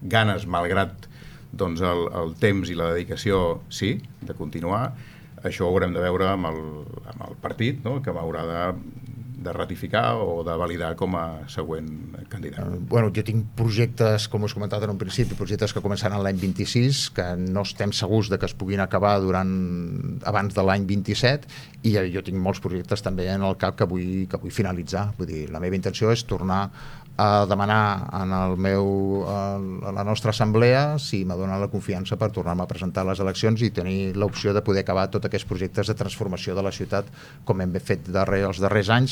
ganes, malgrat doncs, el temps i la dedicació, sí, de continuar. Això ho haurem de veure amb el partit, no?, que m'haurà de ratificar o de validar com a següent candidat. Jo tinc projectes, com us he comentat en un principi, projectes que començaran l'any 26, que no estem segurs de que es puguin acabar abans de l'any 27, i jo tinc molts projectes també en el cap que vull finalitzar. Vull dir, la meva intenció és tornar a demanar a la nostra assemblea si m'adona la confiança per tornar-me a presentar a les eleccions i tenir l'opció de poder acabar tots aquests projectes de transformació de la ciutat com hem fet els darrers anys,